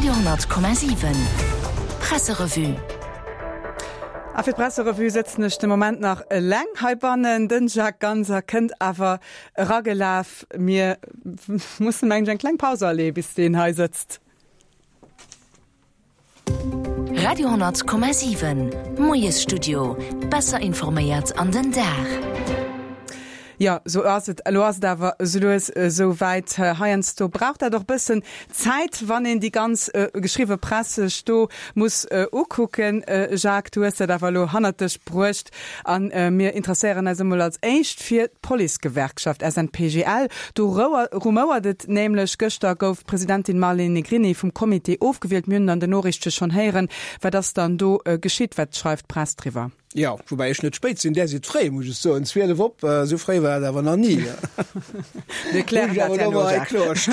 Radio 10,7 Presserevue. A fir d'Presserevue sëtzen ech de Moment nach eleng heibannen. Den Jacques Ganser kënnt awer eragelaf. Mir mussen, mengen ech, eng kleng Paus aleeë bis deen hei sëtzt. Radio 10,7 Moiesstudio, besser informéiert an den Dag. Jo, sou ass et. Elo ass et awer esou lues esou wäit. Heiansdo brauch dat och bëssen Zäit, wann een déi ganz geschriwwe Press sech do muss ukucken. Jacques, du hues dat awer elo hannert dech bruecht. A mir interesséieren eis emol als éischt fir d'Policegewerkschaft SNPGL. Do rumouert et nämlech. Gëschter gouf d'Presidentin Marlene Negrini vum Comité ofgewielt. Mir hunn et an den Noriichte schonn héieren. Wat ass dann do geschitt? Wat schreift d'Press driwwer? Jo, woubäi ech net spéit sinn, där sidd fréi, muss ech soen. 12 op, esou fréi war et awer nach ni. Mir klären dat herno, Jacques.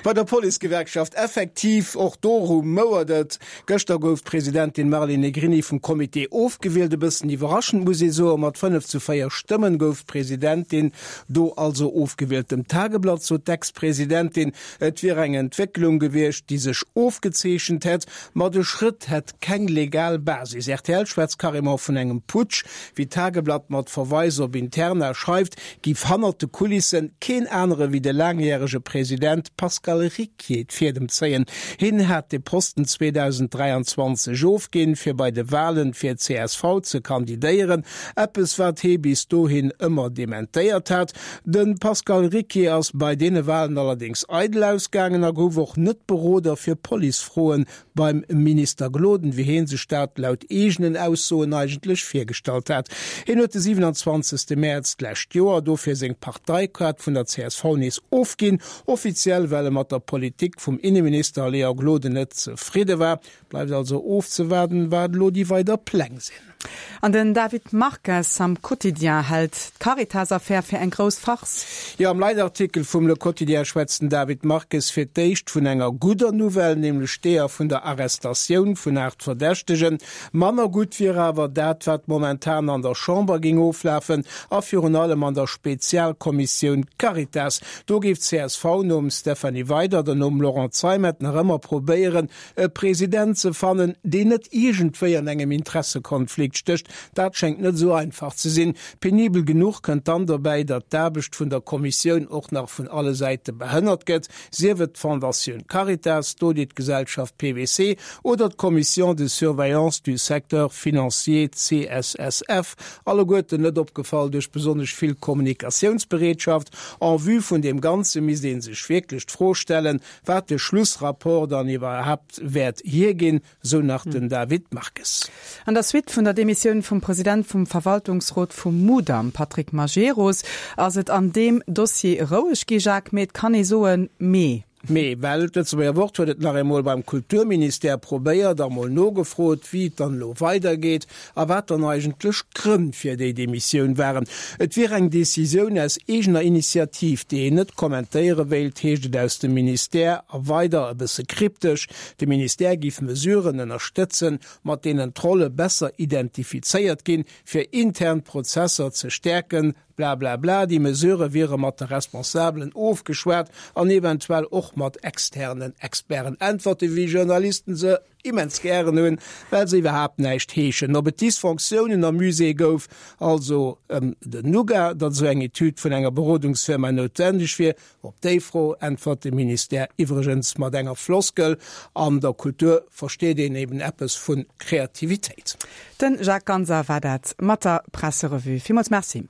Bei der Policegewerkschaft, effektiv, och do rumouert et. Gëschter gouf d'Presidentin Marlene Negrini vum Comité ofgewielt. E bëssen iwwerraschend, muss ee soen. Mat 5 zu 4 Stëmmen gouf d'Presidentin do also ofgewielt. Dem Tageblatt sot d'Ex-Presidentin, et wier eng Entwécklung gewiescht, déi sech ofgezeechent hätt, ma de Schrëtt hätt keng legal Basis. Rtl schwätzt carrément vun engem Putsch. Wéi d'Tageblatt mat Verweis op Interna schreift, giff hannert de Kulissen keen anere wéi de laangjärege President Pascal Ricquier d'Fiedem zéien. Hien hat de Posten 2023 ofginn, fir bei de Walen fir csv ze kandidéieren, eppes wat hee bis dohin ëmmer dementéiert hat. De Pascal Ricquier ass bei deene Walen allerdéngs eidel ausgaangen a gouf och net Beroder fir Policefroen beim Minister Gloden, wéi hee sech dat laut eegenen Aussoen eigentlech virgestallt hat. Hien huet de 27. Mäerz d'lescht Joer dofir seng Parteikaart vun der csv nees ofginn, offiziell well e mat der Politik vum Inneminister Léon Gloden net zefridde war. Bleift also ofzewaarden, wat elo déi weider Pläng sinn. An den David Marques am Quotidien hält d'Caritas-Affär fir eng grouss Farce. Jo, am Leitartikel vum Le Quotidien schwätzt den David Marques fir d'éischt vun enger gudder Nouvelle, nämlech deeër vun der Arrestatioun vun 8 Verdächtegen. Manner gutt wier awer dat, wat momentan an der Chamber géing oflafen a virun allem an der Spezialkommissioun Caritas. Do géif d'CSV nom Stéphanie Weydert an nom Laurent Zeimet nach ëmmer probéieren, E President ze fannen, deen net iergendwéi an engem Interessekonflikt stécht, dat schéngt net esou einfach ze sinn. Penibel genuch kënnt dann dobäi, datt d'Aarbecht vun der Kommissioun och nach vun alle Säite behënnert gëtt, sief et d'Fondatioun Caritas, d'Auditgesellschaft PwC oder d'Commission de surveillance du secteur financier, CSSF, alleguerten net opgefall duerch besonnesch vill Kommunikatiounsbereetschaft. En vue vun deem Ganze misst ee sech wierklech d'Fro stellen, Wat de Schlussrapport dann iwwerhaapt wäert hierginn, sou nach den David Marques. An der Suite vun der Demissioun vum President vum Verwaltungsrot vum Mudam, Patrick Majerus, ass et an deem Dossier roueg gi, Jacques, mee et kann ee soen, mee. Mee, well d'Lëtzebuerger Wort huet et nach eemol beim Kulturministère probéiert a mol nogefrot, wéi et dann elo weidergeet. A wat dann eigentlech d'Grënn fir déi Demissioun waren. Et wier eng Decisioun aus eegener Initiativ, déi een net kommentéiere wéilt, heescht et aus dem Ministère. A weider, e bësse kryptesch, de Ministère géif Mesuren ënnerstëtzen, mat deenen d'Rolle besser identifizéiert ginn, fir intern Prozesser ze stäerken, blablabla. Déi Mesurë wiere mat de Responsabelen ofgeschwat an eventuell och mat externen Experten. Äntwerte wéi Journalisten se immens gären hunn, well se iwwerhaapt näischt heeschen. Ob et Dysfonctiounen am Musée gouf, also ëm den Nougat, datt esou eng Etüd vun enger Berodungsfirma noutwendeg wier, op déi Fro äntwert de Ministère iwwregens mat enger Floskel, An der Kultur versteet een eben eppes vu Kreativitéit. De Jacques Ganser war dat mat der Presserevue. Villmools Merci.